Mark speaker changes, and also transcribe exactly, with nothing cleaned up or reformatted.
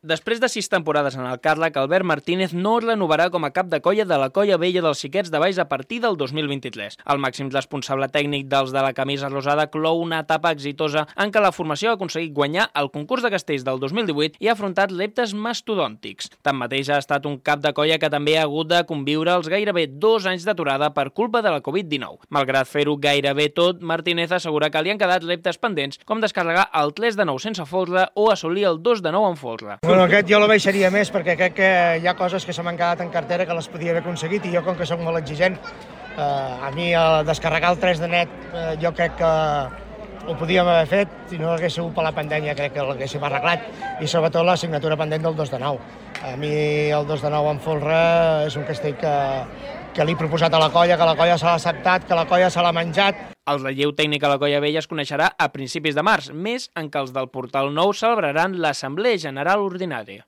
Speaker 1: Després de sis temporades en el càrrec, Albert Martínez no es renovarà com a cap de colla de la colla vella dels Xiquets de Valls a partir del dos mil vint-i-tres. El màxim responsable tècnic dels de la camisa rosada clou una etapa exitosa en què la formació ha aconseguit guanyar el concurs de castells del dos mil divuit i ha afrontat reptes mastodòntics. Tanmateix, ha estat un cap de colla que també ha hagut de conviure els gairebé dos anys d'aturada per culpa de la covid dinou. Malgrat fer-ho gairebé tot, Martínez assegura que li han quedat reptes pendents com descarregar el tres de nou sense folre o assolir el dos de nou amb folre.
Speaker 2: Bueno, aquest jo l'abaixaria més perquè crec que hi ha coses que se m'han quedat en cartera que les podia haver aconseguit i jo, com que soc molt exigent, eh, a mi el descarregar el tres de net eh, jo crec que ho podíem haver fet, si no hagués sigut per la pandèmia crec que l'haguéssim arreglat, i sobretot la signatura pendent del dos de nou. A mi el dos de nou amb folre és un castell que, que li he proposat a la colla, que la colla se l'ha acceptat, que la colla se l'ha menjat.
Speaker 1: El relleu tècnic a la colla vella es coneixerà a principis de març, mes en què els del Portal Nou celebraran l'Assemblea General Ordinària.